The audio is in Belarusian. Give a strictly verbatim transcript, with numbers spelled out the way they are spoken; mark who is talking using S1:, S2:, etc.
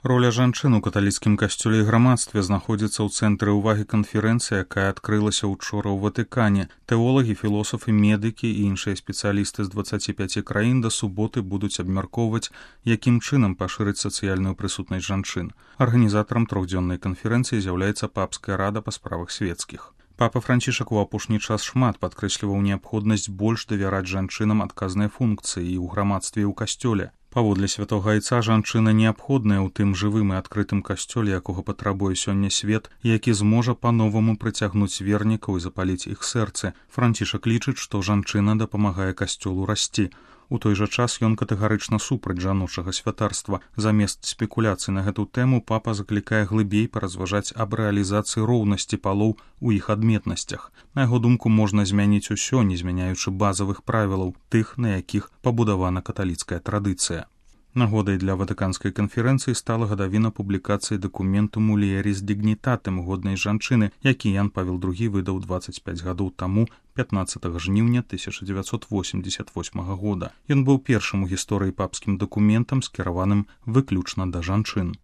S1: Роля жанчын у каталіцкім касцёле і грамадстве знаходзіцца ў цэнтры ўвагі канферэнцыі, якая адкрылася ўчора ў Ватыкане. Тэолагі, філосафы, медыкі і іншыя спецыялісты з дваццаці пяці краін да суботы будуць абмяркоўваць, якім чынам пашырыць сацыяльную прысутнасць жанчын. Арганізатарам трохдзённай канферэнцыі з'яўляецца папская рада па справах свецкіх. Папа Францішак у апошні час шмат падкрэсліваў неабходнасць больш давяраць жанчынам адказныя функцыі і ў грамадстве і ў касцёле. Паводле святога айца жанчына неабходная ў тым жывым і адкрытым касцёле, якога патрабуе сёння свет, які зможа па-новаму прыцягнуць вернікаў і запаліць іх сэрцы. Францішак лічыць, што жанчына дапамагае касцёлу расці. У той жа час ён катэгарычна супраць жаночага святарства. Замест спекуляцый на гэту тэму папа заклікае глыбей паразважаць аб рэалізацыі роўнасці палоў у іх адметнасцях. На яго думку, можна змяніць усё, не змяняючы базавых правілаў, тых, на якіх пабудавана каталіцкая традыцыя. Нагодай для ватыканскай канферэнцыі стала гадавіна публікацыі дакументу «Mulieris Dignitatem» годнай жанчыны, які Ян Павел другі выдаў дваццаць пяць гадоў таму, пятнаццатага жніўня тысяча дзевяцьсот восемьдзесят восьмага года. Ён быў першым у гісторыі папскім дакументам, скіраваным выключна да жанчын.